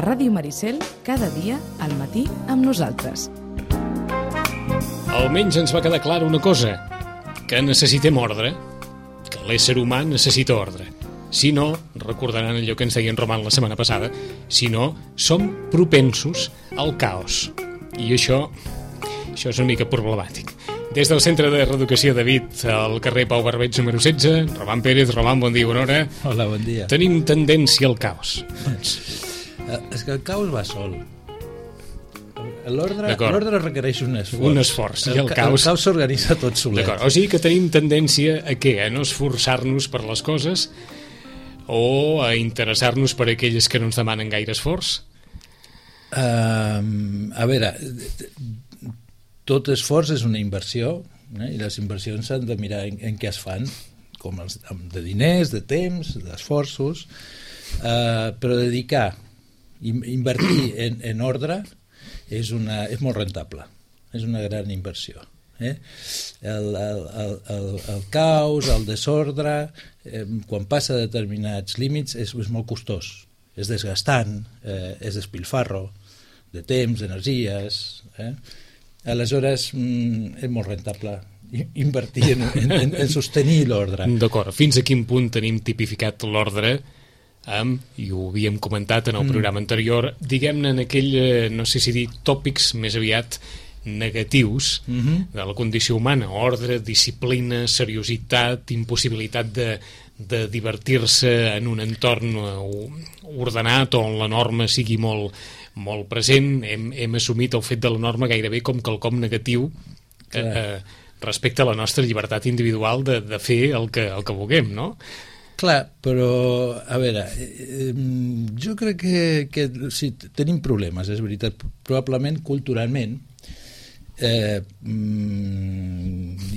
Ràdio Maricel, cada dia al matí amb nosaltres. Almenys ens va quedar clara una cosa, que necessitem ordre, que l'ésser humà necessita ordre. Si no, recordaran allò que ens deia en Roman la setmana passada, si no, som propensos al caos. I això és una mica problemàtic. Des del Centre de Reeducació David, al carrer Pau Barbeig número 16, Roman Pérez. Roman, bon dia, bona hora. Hola, bon dia. Tenim tendència al caos. És que el caos va sol. L'ordre requereix un esforç. Un esforç. I el caos s'organitza tot solet. D'acord. O sigui que tenim tendència a què? A no esforçar-nos per les coses o a interessar-nos per aquelles que no ens demanen gaire esforç? A veure, tot esforç és una inversió, i les inversions s'han de mirar en què es fan, com de diners, de temps, d'esforços, però dedicar, invertir en ordre és molt rentable, és una gran inversió. El caos, el desordre, quan passa determinats límits és molt costós, és desgastant, és despilfarro de temps, d'energies. Aleshores és molt rentable invertir en sostenir l'ordre. D'acord, fins a quin punt tenim tipificat l'ordre i ho havíem comentat en el programa anterior, diguem-ne en aquell, no sé si dir tòpics més aviat negatius de la condició humana: ordre, disciplina, seriositat, impossibilitat de divertir-se en un entorn ordenat on la norma sigui molt present. Hem assumit el fet de la norma gairebé com quelcom negatiu respecte a la nostra llibertat individual de fer el que vulguem, no? Clar, però, a veure, jo crec que sí, tenim problemes, és veritat, probablement culturalment,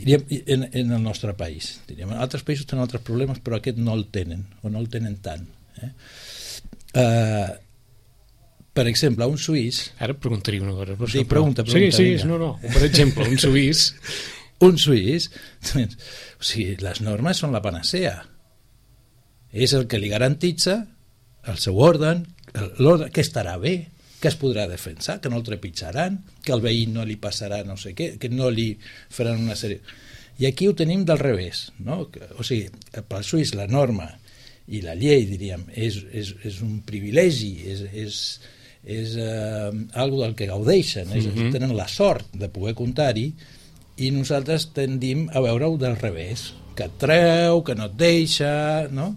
diríem, en el nostre país. Diríem, en altres països tenen altres problemes, però aquest no el tenen, o no el tenen tant. Per exemple, un suís... Ara preguntaria una cosa. Sí, pregunta. Sí, no. Per exemple, un suís... Un suís, o sigui, les normes són la panacea. És el que li garantitza el seu ordre, que estarà bé, que es podrà defensar, que no el trepitjaran, que al veí no li passarà no sé què, que no li faran una sèrie... I aquí ho tenim del revés, no? O sigui, pel suís la norma i la llei, diríem, és un privilegi, és algo del que gaudeixen, tenen la sort de poder comptar-hi, i nosaltres tendim a veure-ho del revés, que et treu, que no et deixa, no?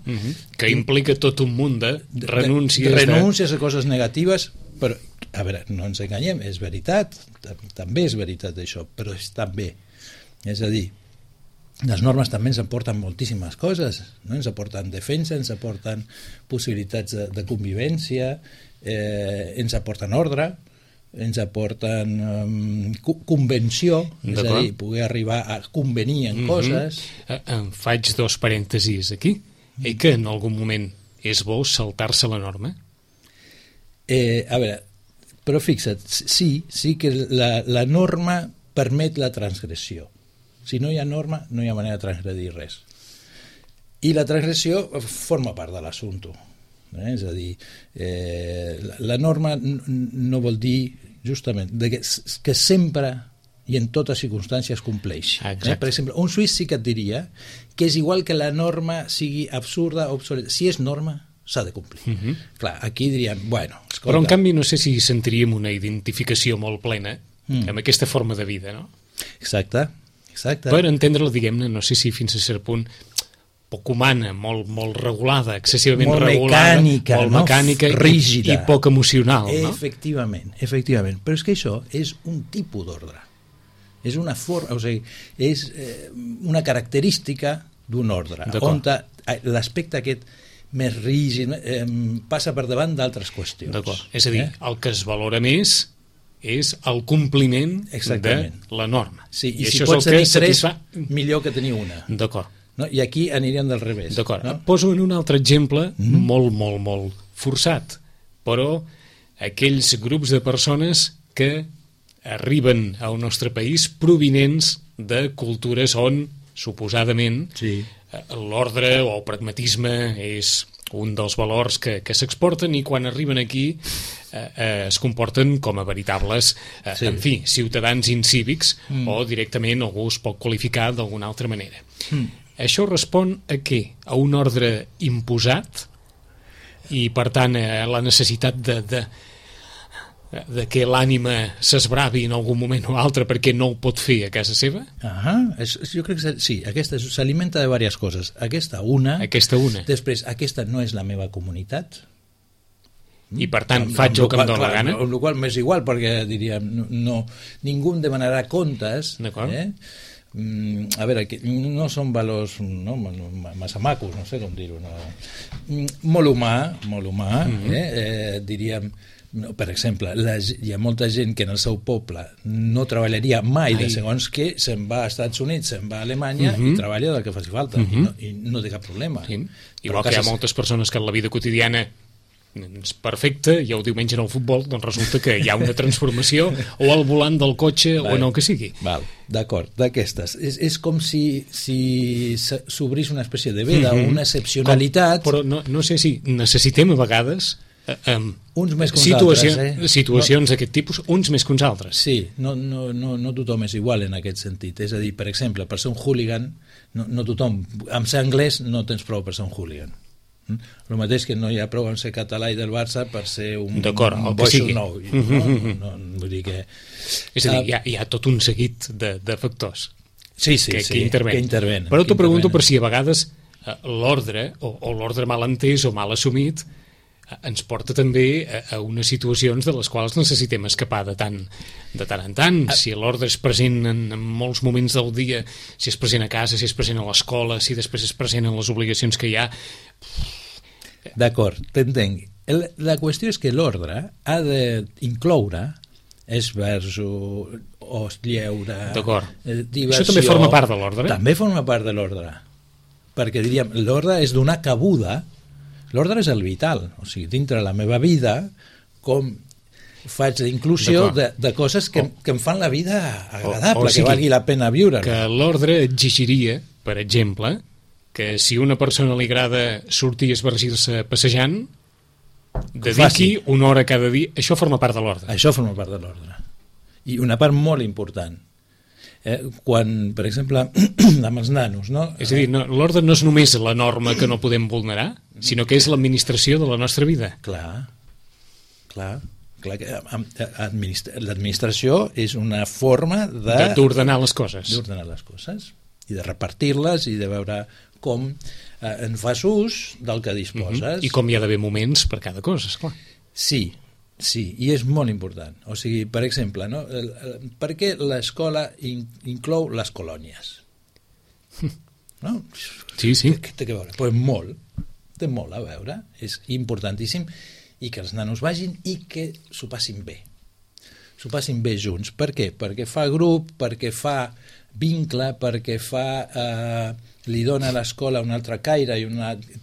Que implica tot un munt de renúncies. Renúncies a coses negatives, però, a veure, no ens enganyem, és veritat, també és veritat això, però és també. És a dir, les normes també ens aporten moltíssimes coses, no? Ens aporten defensa, ens aporten possibilitats de convivència, ens aporten ordre, ens aporten convenció, és a dir, poder arribar a convenir en coses. Em faig dos parèntesis aquí. Que en algun moment és bo saltar-se la norma? A veure, però fixa't, sí que la norma permet la transgressió. Si no hi ha norma, no hi ha manera de transgredir res. I la transgressió forma part de l'assumpte. És a dir, la norma no vol dir justament que sempre i en totes circumstàncies compleix. Per exemple, un suís sí que et diria que és igual que la norma sigui absurda o obsoleta. Si és norma, s'ha de complir. Clar, aquí diríem, bueno, escolta... Però en canvi no sé si sentiríem una identificació molt plena amb aquesta forma de vida, no? Exacte. Per entendre-la, diguem-ne, no sé si fins a cert punt poc humana, molt regulada, excessivament molt regulada, mecànica, molt mecànica, rígida i poc emocional, no? Efectivament. Però és que això és un tipus d'ordre. És una forma, o sigui, és una característica d'un ordre, on l'aspecte aquest més rígid passa per davant d'altres qüestions. D'acord. És a dir, el que es valora més és el compliment de la norma. Sí, i si pots tenir tres, millor que tenir una. D'acord. No? I aquí aniríem del revés. D'acord. No? Poso en un altre exemple molt forçat, però aquells grups de persones que arriben al nostre país provinents de cultures on, suposadament, l'ordre o el pragmatisme és un dels valors que s'exporten, i quan arriben aquí es comporten com a veritables, en fi, ciutadans incívics, o directament algú es pot qualificar d'alguna altra manera. Això respon a què? A un ordre imposat i, per tant, a la necessitat de que l'ànima s'esbravi en algun moment o altre perquè no ho pot fer a casa seva? Jo crec que sí, aquesta s'alimenta de diverses coses. Aquesta una. Després, aquesta no és la meva comunitat. I per tant faig el que em dóna la gana? Amb la qual m'és igual, perquè diríem ningú em demanarà comptes. D'acord. A veure, no són valors massa macos, no sé com dir-ho, molt humà, diríem. Per exemple, hi ha molta gent que en el seu poble no treballaria mai de segons què, se'n va als Estats Units, se'n va a Alemanya i treballa del que faci falta i no té cap problema. Igual que hi ha moltes persones que en la vida quotidiana és perfecte, i el diumenge en el futbol doncs resulta que hi ha una transformació o al volant del cotxe o en el que sigui. D'acord, d'aquestes. És com si s'obrís una espècie de veda o una excepcionalitat. Però no sé si necessitem a vegades uns més que uns altres, situacions d'aquest tipus, uns més que uns altres. Sí, no tothom és igual en aquest sentit. És a dir, per exemple, per ser un hooligan, no tothom, amb ser anglès no tens prou per ser un hooligan. El mateix que no hi ha prou en ser català i del Barça per ser un boixo nou. Vull dir que... És a dir, hi ha tot un seguit de factors que intervenen. Però t'ho pregunto per si a vegades l'ordre, o l'ordre mal entès o mal assumit, ens porta també a unes situacions de les quals necessitem escapar de tant en tant. Si l'ordre és present en molts moments del dia, si és present a casa, si és present a l'escola, si després és present en les obligacions que hi ha... D'acord, t'entenc. La qüestió és que l'ordre ha d'incloure esbarjo, lleure, diversió... Això també forma part de l'ordre? També forma part de l'ordre. Perquè, diríem, l'ordre és donar cabuda. L'ordre és el vital. O sigui, dintre la meva vida, com faig d'inclusió de coses que em fan la vida agradable, que valgui la pena viure. Que l'ordre exigiria, per exemple, que si a una persona li agrada sortir i esbargir-se passejant, dediqui una hora cada dia. Això forma part de l'ordre. Això forma part de l'ordre. I una part molt important. Quan, per exemple, amb els nanos... És a dir, l'ordre no és només la norma que no podem vulnerar, sinó que és l'administració de la nostra vida. Clar que l'administració és una forma d'ordenar les coses. D'ordenar les coses i de repartir-les i de veure com en fas ús del que disposes. I com hi ha d'haver moments per cada cosa, esclar. Sí, i és molt important. O sigui, per exemple, per què l'escola inclou les colònies? No? Sí. Què té a veure? Pues molt. Té molt a veure. És importantíssim i que els nanos vagin i que s'ho passin bé. S'ho passin bé junts. Per què? Perquè fa grup, perquè fa vincle, perquè li dona a l'escola un altre caire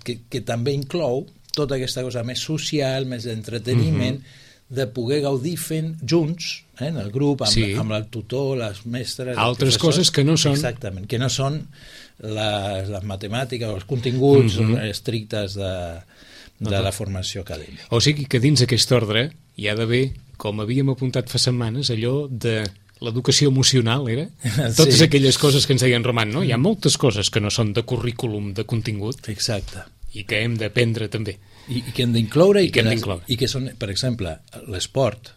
que també inclou tota aquesta cosa més social, més d'entreteniment, de poder gaudir fent junts, en el grup, amb el tutor, les mestres... Altres coses que no són... Exactament, que no són les matemàtiques o els continguts estrictes de la formació acadèmica. O sigui que dins aquest ordre hi ha d'haver, com havíem apuntat fa setmanes, allò de l'educació emocional, era? Totes aquelles coses que ens deien Roman, no? Hi ha moltes coses que no són de currículum, de contingut. Exacte. I que hem d'aprendre també. I que hem d'incloure i que són, per exemple, l'esport,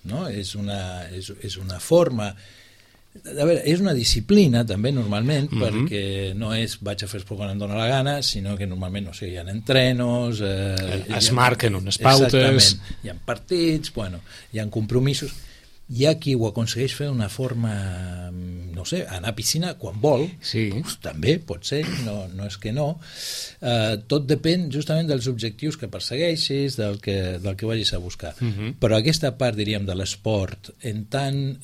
no? És una forma... A veure, és una disciplina també normalment, perquè no és vaig a fer esport quan em dóna la gana, sinó que normalment, no sé, hi ha entrenos... es marquen unes pautes... Exactament, hi ha partits, hi ha compromisos... Hi ha qui ho aconsegueix fer d'una forma, no sé, anar a piscina quan vol, també pot ser, no és que no. Tot depèn justament dels objectius que persegueixis, del que vagis a buscar. Però aquesta part, diríem, de l'esport, en tant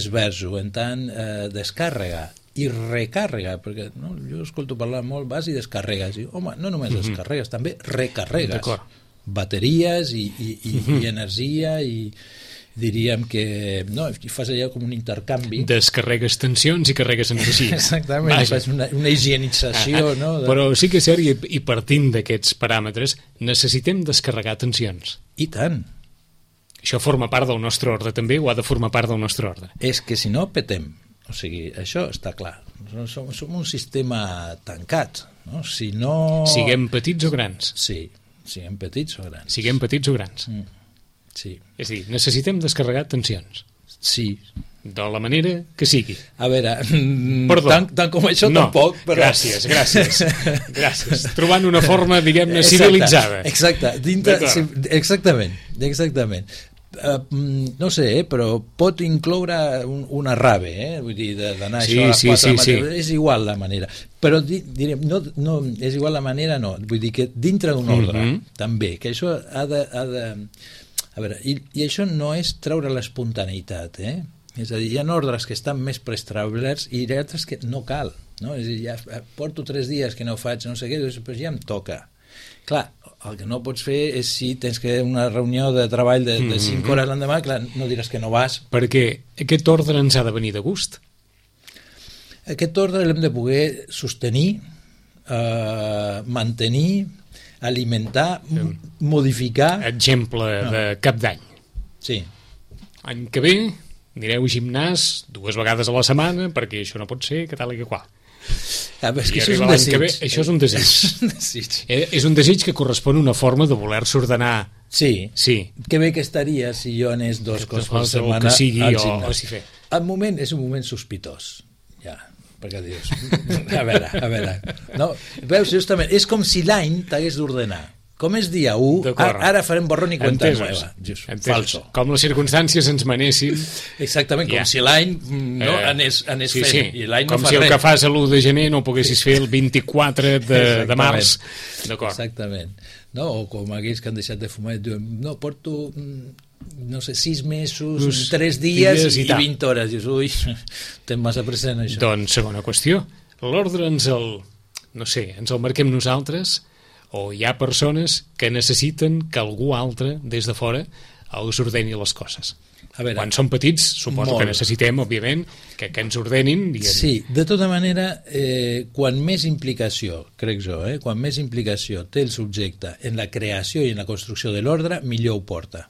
esverso, en tant descàrrega i recàrrega, perquè jo escolto parlar molt, vas i descarregues, i home, no només descarregues, també recarregues. Bateries i energia i diríem que no, fas allò com un intercanvi. Descarregues tensions i carregues energia. Exactament, Vaja. fas una higienització, no? Però sí que és cert, i partint d'aquests paràmetres, necessitem descarregar tensions. I tant. Això forma part del nostre ordre també, o ha de formar part del nostre ordre? És que si no, petem. O sigui, això està clar. Som un sistema tancat. No? Si no... Siguem petits o grans? Sí, siguem petits o grans. Siguem petits o grans. Sí. És a dir, necessitem descarregar tensions. Sí. De la manera que sigui. A veure, Perdó. tant com això no, tampoc, però... Gràcies. Gràcies. Trobant una forma, diguem-ne, civilitzada. Exacte. Exactament. No sé, però pot incloure una rave, vull dir, d'anar això a les 4 de la matina. És igual la manera. Però direm, no, és igual la manera, no. Vull dir que dintre d'un ordre, també, que això ha de... A veure, i això no és treure l'espontaneïtat, És a dir, hi ha ordres que estan més preestablerts i hi ha altres que no cal, no? És a dir, ja porto 3 dies que no faig no sé què, doncs ja em toca. Clar, el que no pots fer és si tens que una reunió de treball de 5 hores l'endemà, clar, no diràs que no vas. Perquè aquest ordre ens ha de venir de gust. Aquest ordre l'hem de poder sostenir, mantenir, alimentar, modificar. Exemple de cap d'any. Sí. Any que ve anireu a gimnàs 2 vegades a la setmana perquè això no pot ser, que tal i que qual. És que I això és arriba un l'any que ve, desig. això és un desig. És un desig que correspon a una forma de voler-se ordenar. Sí. Sí. Que bé que estaria si jo anés 2 cops per O setmana que sigui, al o gimnàs. si fer. El moment és un moment sospitós, ja, perquè dius, a veure, no? Veus, justament, és com si l'any t'hagués d'ordenar. Com és dia 1, ara farem borrón i cuenta nueva. Falso. Com les circumstàncies ens manessin. Exactament, com si l'any no anés fent. Sí. I l'any com no fa si el res. que fas l'1 de gener no poguessis fer el 24 de març. D'acord. Exactament. No? O com aquells que han deixat de fumar i diuen, no, porto no sé, 6 mesos, 3 dies i 20 hores. Dius, ui, tens massa present això. Doncs segona qüestió. L'ordre ens el marquem nosaltres, o hi ha persones que necessiten que algú altre des de fora els ordeni les coses. A veure, quan som petits suposo que necessitem, òbviament, que ens ordenin. Sí, de tota manera, quan més implicació, crec jo, quan més implicació té el subjecte en la creació i en la construcció de l'ordre, millor ho porta.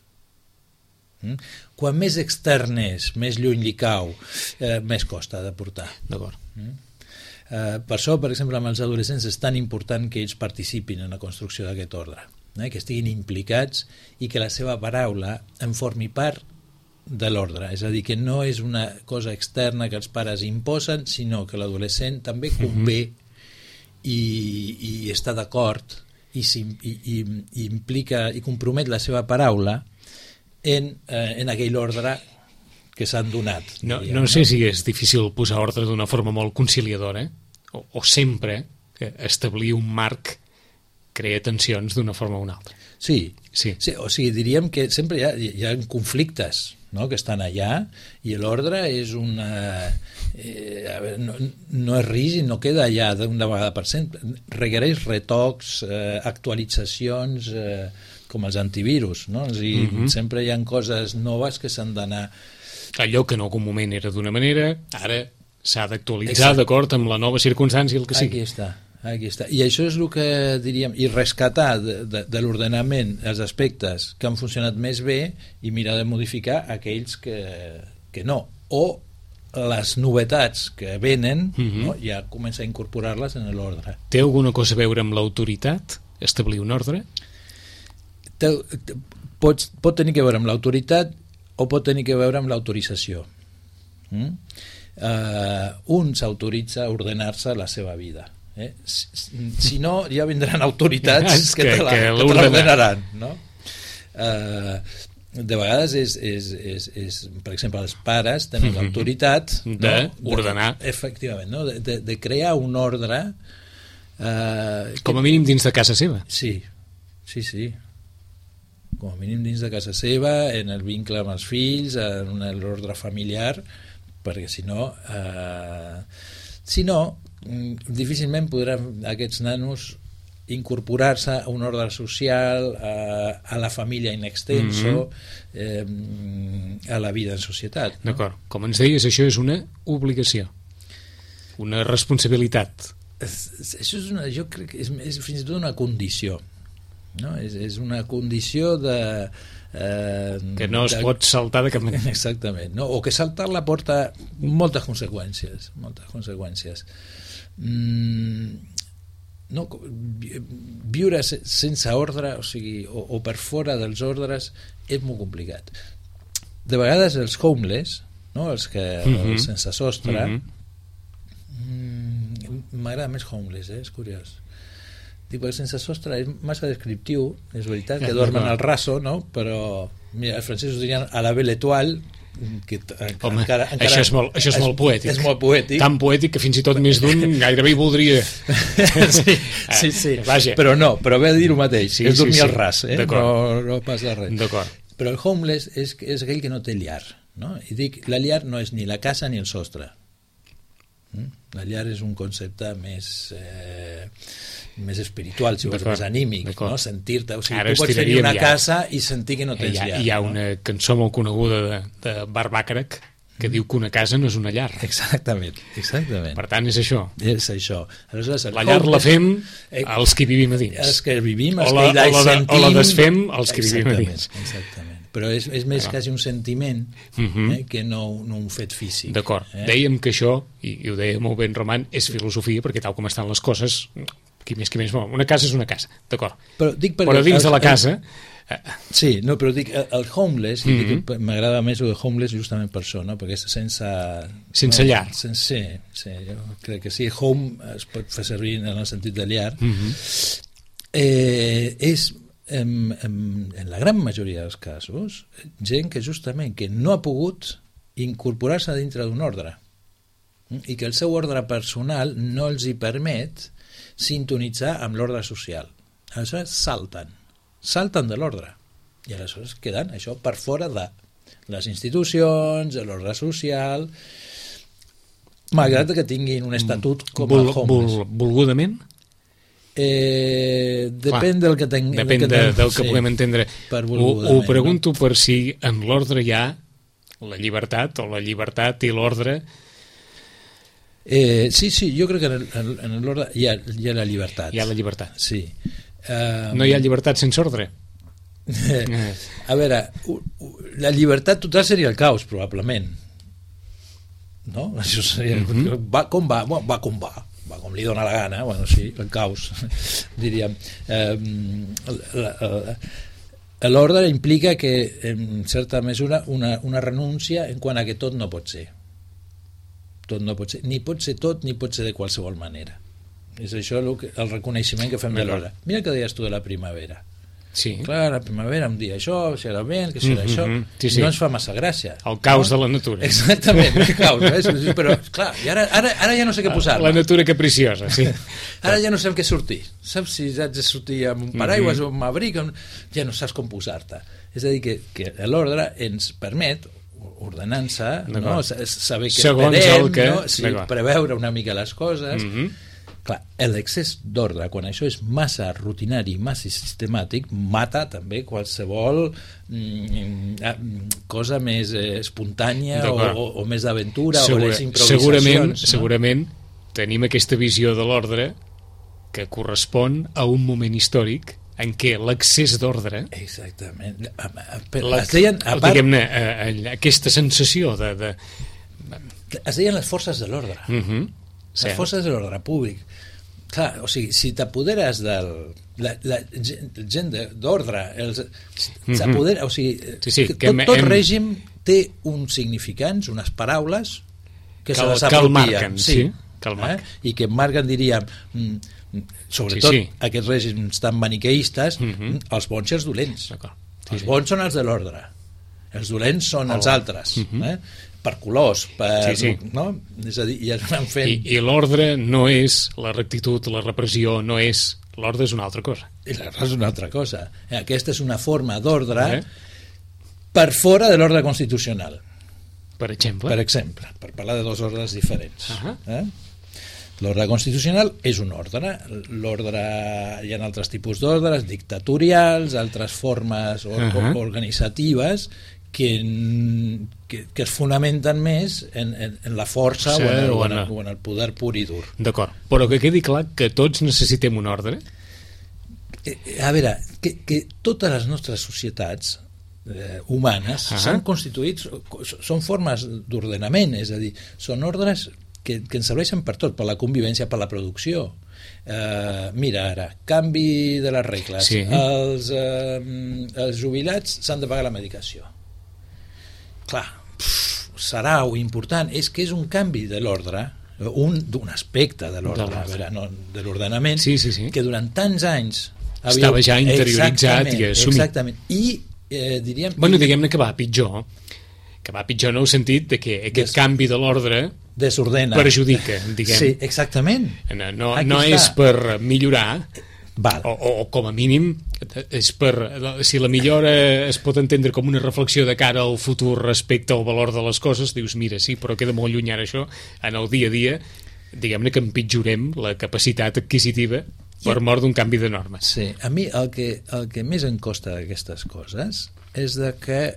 Quan més extern és, més lluny li cau, més costa de portar. D'acord. Per això, per exemple, amb els adolescents és tan important que ells participin en la construcció d'aquest ordre, que estiguin implicats i que la seva paraula en formi part de l'ordre, és a dir, que no és una cosa externa que els pares imposen, sinó que l'adolescent també convé i està d'acord i implica i compromet la seva paraula en aquell ordre que s'han donat. No sé si és difícil posar ordre d'una forma molt conciliadora, o sempre establir un marc crea tensions d'una forma o una altra. Sí. O sigui, diríem que sempre hi ha conflictes, que estan allà, i l'ordre és una... no és rígid, no queda allà d'una vegada per sempre. Requereix retocs, actualitzacions, com els antivirus, no? Sempre hi ha coses noves que s'han d'anar... Allò que en algun moment era d'una manera, ara s'ha d'actualitzar d'acord amb la nova circumstància, el que sigui. Aquí està. I això és el que diríem, i rescatar de l'ordenament els aspectes que han funcionat més bé i mirar de modificar aquells que no. O les novetats que venen, ja començar a incorporar-les en l'ordre. Té alguna cosa a veure amb l'autoritat? Establir un ordre? Pot tenir a veure amb l'autoritat o pot tenir a veure amb l'autorització. Un s'autoritza a ordenar-se la seva vida. Si no, ja vindran autoritats que te l'ordenaran. De vegades és, per exemple, els pares tenen l'autoritat d'ordenar, efectivament, de crear un ordre com a mínim dins de casa seva. Sí. Com a mínim dins de casa seva, en el vincle amb els fills, en l'ordre familiar, perquè si no difícilment podran aquests nanos incorporar-se a un ordre social, a la família in extenso, a la vida en societat. No? D'acord. Com ens deies, això és una obligació, una responsabilitat. Això és jo crec que és fins i tot una condició. No? És una condició de... que no es pot saltar de cap manera. Exactament. No? O que saltar-la porta moltes conseqüències. No, viure sense ordre, o sigui, o per fora dels ordres, és molt complicat. De vegades els homeless, no? Els sense sostre, m'agrada més homeless, és curiós. Dic, perquè sense sostre és massa descriptiu, és veritat, que dormen al raso, no? Però mira, els francesos dirien a la belle étoile, que home, encara, això és molt poètic. És molt poètic. Tan poètic que fins i tot més d'un gairebé hi voldria. Sí. Vaja. Però ve a dir el mateix, és dormir al ras, no passa res. D'acord. Però el homeless és aquell que no té llar, no? I dic, la llar no és ni la casa ni el sostre. La llar és un concepte més espiritual, si vols, més anímic, no? Sentir-te, o sigui, tu pots tenir una casa i sentir que no tens llar. Hi ha una cançó molt coneguda de Bart Bacharach que diu que una casa no és una llar. Exactament. Per tant, és això. És això. Aleshores, la llar la fem els que vivim a dins. Els que vivim, els que hi sentim... O la desfem els que vivim a dins. Exactament. Però és més quasi un sentiment que no un fet físic. D'acord. Dèiem que això, i ho deia molt ben Roman, és filosofia, perquè tal com estan les coses, qui més, una casa és una casa, d'acord. Però dins de la casa... Sí, no, però dic, el homeless, m'agrada més el homeless justament per això, no? Perquè és sense llar. Sí, jo crec que sí. Home es pot fer servir en el sentit de llar. És... En la gran majoria dels casos, gent que justament que no ha pogut incorporar-se dintre d'un ordre i que el seu ordre personal no els hi permet sintonitzar amb l'ordre social. Aleshores salten de l'ordre i aleshores queden això per fora de les institucions, de l'ordre social, malgrat que tinguin un estatut com el homeless. Volgudament? Depèn del que puguem entendre. Ho pregunto per si en l'ordre hi ha la llibertat, o la llibertat i l'ordre. Sí, jo crec que en l'ordre hi ha la llibertat. Hi ha la llibertat. Sí. No hi ha llibertat sense ordre? A veure, la llibertat total seria el caos, probablement. No? Això seria... Va com va com li dóna la gana, bueno, sí, el caos, diríem. L'ordre implica que, en certa mesura, una renúncia en quant a que tot no pot ser. Tot no pot ser. Ni pot ser tot, ni pot ser de qualsevol manera. És això el reconeixement que fem de l'ordre. Mira el que deies tu de la primavera. Sí. Clar, la primavera, un dia això, serà vent, que serà això, sí. No ens fa massa gràcia. El caos de la natura. Exactament, el caos, però clar, i ara ja no sé què posar-me. La natura capriciosa, sí. Ara ja no sé amb què sortir. Saps si haig de sortir amb un paraigües o amb un abric, ja no saps com posar-te. És a dir, que l'ordre ens permet, ordenant-se, no? Saber què esperem, preveure una mica les coses. Clar, l'excés d'ordre, quan això és massa rutinari, massa sistemàtic, mata també qualsevol cosa més espontània o més d'aventura o les improvisacions. Segurament tenim aquesta visió de l'ordre que correspon a un moment històric en què l'excés d'ordre, exactament, diguem-ne, aquesta sensació de... Es deien les forces de l'ordre. Les forces de l'ordre públic. Clar, o sigui, si t'apoderes la gent d'ordre, s'apodera, o sigui, tot règim té uns significants, unes paraules que se les apropien. Que el marquen. I que marquen, diríem, sobretot aquests règims tan maniqueistes, els bons i els dolents. Els bons són els de l'ordre, els dolents són els altres, per colors, no? És a dir, ja es van fent... I l'ordre no és la rectitud, la repressió, no és... L'ordre és una altra cosa. I l'ordre és una altra cosa. Aquesta és una forma d'ordre per fora de l'ordre constitucional. Per exemple? Per parlar de dos ordres diferents. L'ordre constitucional és un ordre. Hi ha altres tipus d'ordres, dictatorials, altres formes organitzatives que es fonamenten més en la força o en el poder pur i dur. D'acord, però que quedi clar que tots necessitem un ordre. A veure, que totes les nostres societats humanes s'han constituït, són formes d'ordenament, és a dir, són ordres que ens serveixen per tot, per la convivència, per la producció. Mira ara, canvi de les regles. Sí. Els jubilats s'han de pagar la medicació. Clar, serà important, és que és un canvi de l'ordre, d'un aspecte de l'ordre, de l'ordenament, que durant tants anys estava ja interioritzat i assumit. Exactament. I diríem... Diguem-ne que va pitjor. Que va pitjor en el sentit de que aquest canvi de l'ordre desordena, perjudica, diguem. Sí, exactament. No és per millorar, o com a mínim és per, si la millora es pot entendre com una reflexió de cara al futur respecte al valor de les coses, dius, mira, sí, però queda molt lluny ara això, en el dia a dia, diguem-ne que empitjorem la capacitat adquisitiva per mort d'un canvi de normes. Sí, a mi el que més em costa d'aquestes coses és de que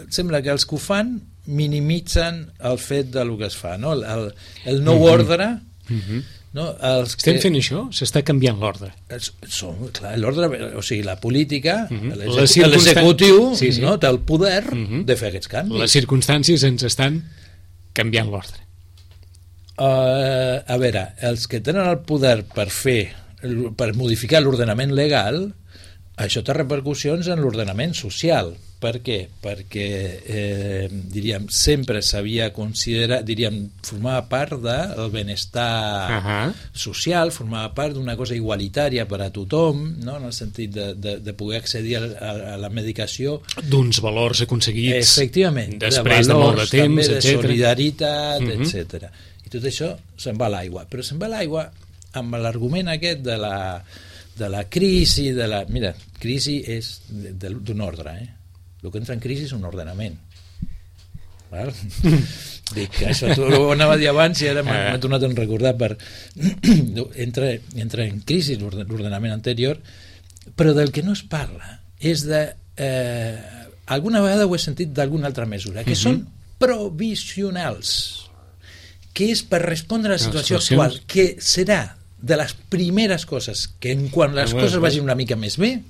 sembla que els que ho fan minimitzen el fet del que es fa, no? El nou ordre, no? Estem fent això? S'està canviant l'ordre. L'ordre, o sigui, la política, l'executiu, no? Té el poder de fer aquests canvis. Les circumstàncies ens estan canviant l'ordre. A veure, els que tenen el poder per modificar l'ordenament legal, això té repercussions en l'ordenament social. Per què? Perquè diríem, sempre s'havia considerat, formava part del benestar social, formava part d'una cosa igualitària per a tothom, no? En el sentit de poder accedir a la medicació, d'uns valors aconseguits després de molt de temps, de solidaritat, etc. I tot això se'n va a l'aigua, però se'n va a l'aigua amb l'argument aquest de la crisi, mira, crisi és d'un ordre, el que entra en crisi és un ordenament. Dic que això ho anava a dir abans i ara m'ha tornat a recordar entra en crisi l'ordenament anterior, però del que no es parla és de alguna vegada ho he sentit d'alguna altra mesura, que són provisionals, que és per respondre a la situació actual, que serà de les primeres coses que quan les coses vagin una mica més bé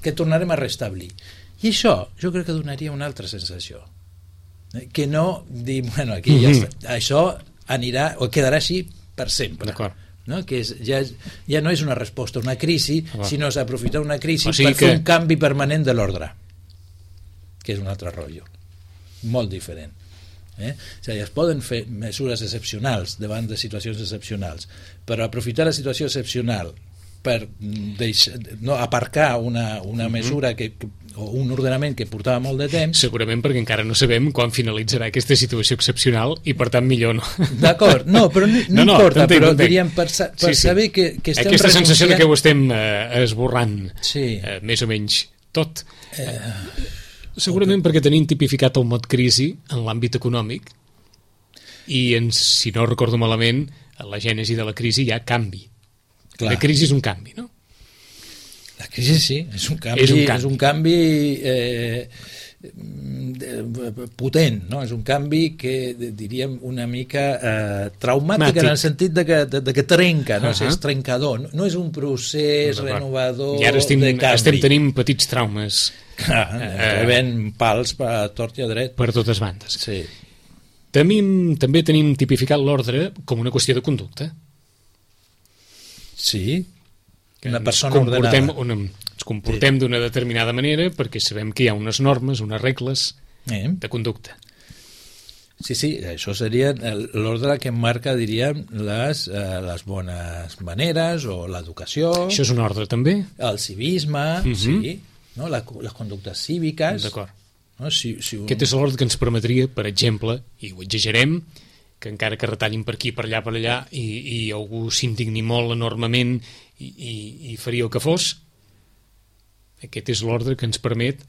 que tornarem a restablir. I això jo crec que donaria una altra sensació, que no dir, bueno, aquí ja està, això anirà o quedarà així per sempre, no? Que ja no és una resposta a una crisi, sinó s'aprofitar una crisi per fer un canvi permanent de l'ordre, que és un altre rotllo molt diferent. O sigui, es poden fer mesures excepcionals davant de situacions excepcionals, però aprofitar la situació excepcional per aparcar una mesura o un ordenament que portava molt de temps, segurament perquè encara no sabem quan finalitzarà aquesta situació excepcional i per tant millor no. D'acord, però no importa, però diríem per saber que estem aquesta sensació de que ho estem esborrant més o menys tot, segurament perquè tenim tipificat el mot crisi en l'àmbit econòmic i si no recordo malament a la gènesi de la crisi hi ha canvi. La crisi és un canvi, no? La crisi sí, és un canvi potent, no? És un canvi que diríem una mica traumàtic en el sentit de que trenca, no? És trencador, no és un procés renovador de canvi. I ara estem tenint petits traumes. Rebent pals a tort i a dret. Per totes bandes. Sí. També tenim tipificat l'ordre com una qüestió de conducta. Sí, una persona ordenada. Ens comportem d'una determinada manera perquè sabem que hi ha unes normes, unes regles de conducta. Sí, això seria l'ordre que marca, diríem, les bones maneres o l'educació. Això és un ordre també? El civisme, sí, no? Les conductes cíviques. D'acord. No? Aquest és l'ordre que ens permetria, per exemple, i ho exagerem, que encara que retallin per aquí, per allà, i algú s'indigni molt enormement i faria el que fos, aquest és l'ordre que ens permet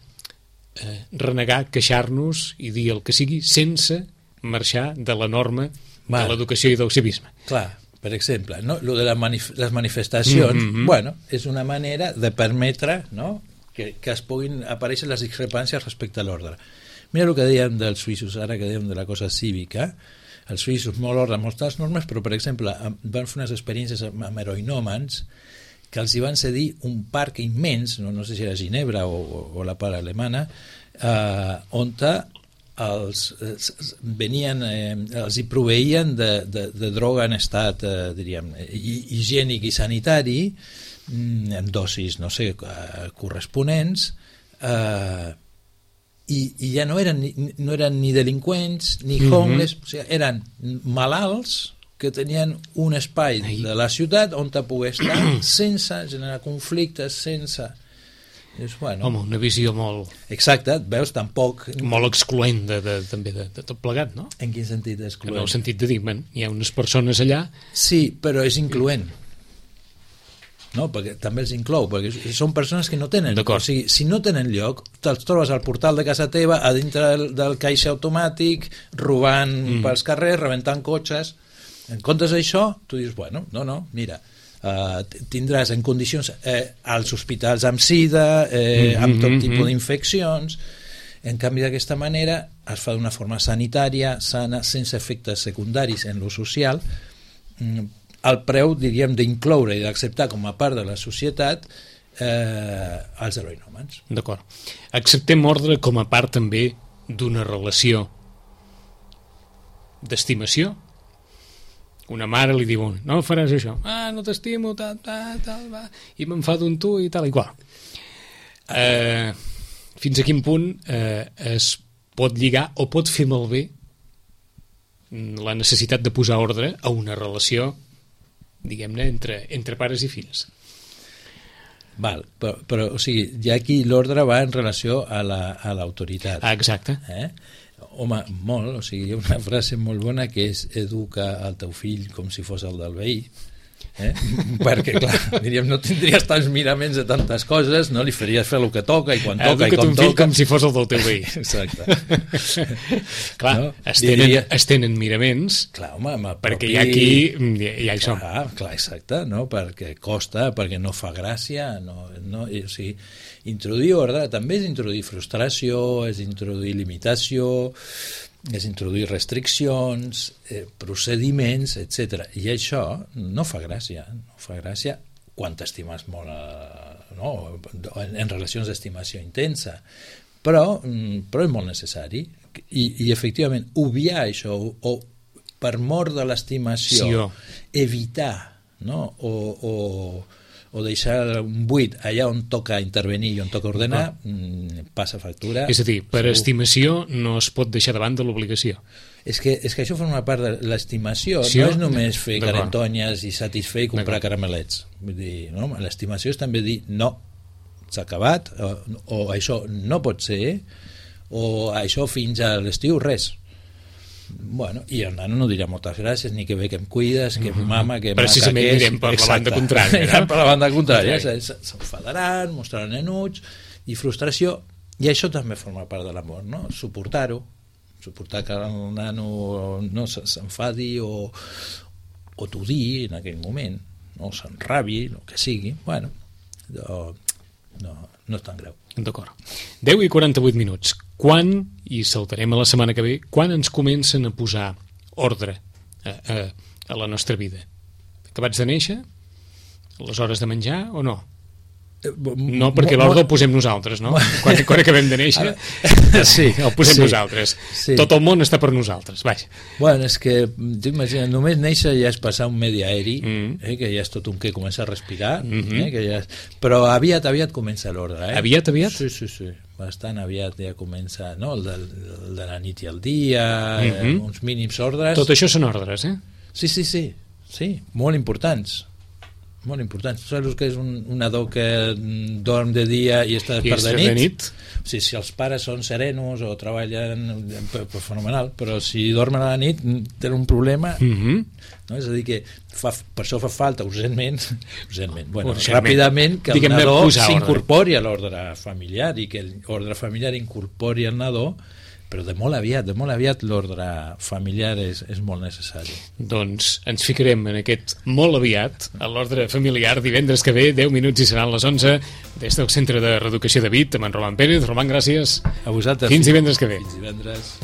renegar, queixar-nos i dir el que sigui sense marxar de la norma de l'educació i del civisme. Clar, per exemple, no? Lo de les manifestacions, bueno, és una manera de permetre, no?, que es puguin aparèixer les discrepàncies respecte a l'ordre. Mira el que dèiem dels suïssos, ara que dèiem de la cosa cívica, els suïssos molt ordre, moltes normes, però, per exemple, van fer unes experiències amb heroinòmens que els hi van cedir un parc immens, no sé si era Ginebra o la part alemana, on els hi proveïen de droga en estat, diríem, higiènic i sanitari, en dosis, no sé, corresponents, i ja no eren ni delinqüents ni homeless, o sigui, eren malalts que tenien un espai de la ciutat on te pogués estar sense generar conflictes, sense... Bueno. Home, una visió molt... Exacte, veus, tampoc... Molt excloent també de tot plegat, no? En quin sentit excloent? En el sentit de dir, hi ha unes persones allà... Sí, però és incloent. No, perquè també els inclou, perquè són persones que no tenen... O sigui, si no tenen lloc, te'ls trobes al portal de casa teva, a dintre del caixer automàtic, robant pels carrers, rebentant cotxes... En comptes d'això, tu dius, bueno, no, mira, tindràs en condicions als hospitals amb sida, amb tot tipus d'infeccions. En canvi, d'aquesta manera es fa d'una forma sanitària, sana, sense efectes secundaris en lo social, al preu, diríem, d'incloure i d'acceptar com a part de la societat els heroinòmens. D'acord. Acceptem ordre com a part també d'una relació d'estimació. Una mare li diu, no faràs això, no t'estimo, tal, va, i m'enfado amb tu i tal i qual. Fins a quin punt es pot lligar o pot fer malbé la necessitat de posar ordre a una relació, diguem-ne, entre pares i fills? Val, però o sigui, ja aquí l'ordre va en relació a l'autoritat. Exacte. Home, molt, o sigui, hi ha una frase molt bona que és educa el teu fill com si fos el del veí, perquè, clar, diríem, no tindries tants miraments de tantes coses, no li faries fer el que toca i quan toca i com toca. Educa't un fill com si fos el del teu veí. Exacte. Clar, no? es tenen miraments, clar, home, perquè hi ha aquí, hi ha això. Clar, exacte, no? Perquè costa, perquè no fa gràcia, no, o sigui, introduir ordre també és introduir frustració, és introduir limitació, és introduir restriccions, procediments, etc. I això no fa gràcia quan t'estimes molt, no? En relacions d'estimació intensa, però és molt necessari i efectivament obviar això o per mort de l'estimació evitar, no? o deixar un buit allà on toca intervenir i on toca ordenar, passa factura. És a dir, per estimació no es pot deixar davant de l'obligació. És que això forma part de l'estimació, no és només fer carentonyes i satisfer i comprar caramelets. Vull dir, no? L'estimació és també dir no, s'ha acabat, o això no pot ser, o això fins a l'estiu res. Bueno, i el nano no dirà moltes gràcies, ni que bé que em cuides, que mama, que maca, precisament que és... anirem per la banda contrària, no? Per la banda contrària, s'enfadaran, mostraran enuig i frustració, i això també forma part de l'amor, no? Suportar-ho, suportar que el nano no s'enfadi o t'odiï en aquell moment, no s'enrabi, el que sigui, bueno, no és tan greu. D'acord. 10 i 48 minuts. Quan, i saltarem a la setmana que ve, quan ens comencen a posar ordre a la nostra vida? Acabats de néixer? A les hores de menjar o no? No, perquè l'ordre el posem nosaltres, no? Quan acabem de néixer, sí, el posem nosaltres. Sí. Tot el món està per nosaltres, vaja. Bueno, és que, t'imagines, només néixer ja és passar un medi aeri, que ja és tot un que comença a respirar, que ja és... però aviat comença l'ordre. Aviat? Sí. Bastant aviat ja comença, no? El de la nit i el dia, uns mínims ordres. Tot això són ordres, Sí, molt importants. Molt important. Saps que és un nadó que dorm de dia i està despert de nit? O sigui, si els pares són serenos o treballen fenomenal, però si dormen a la nit tenen un problema, no? És a dir que per això fa falta urgentment, ràpidament que el nadó s'incorpori a l'ordre familiar i que l'ordre familiar incorpori el nadó però de molt aviat l'ordre familiar és molt necessari. Doncs ens ficarem en aquest molt aviat a l'ordre familiar divendres que ve, 10 minuts i seran les 11 des del Centre de Reeducació de Vic amb en Roman Pérez. Roman, gràcies. A vosaltres. Fins divendres que ve. Fins divendres.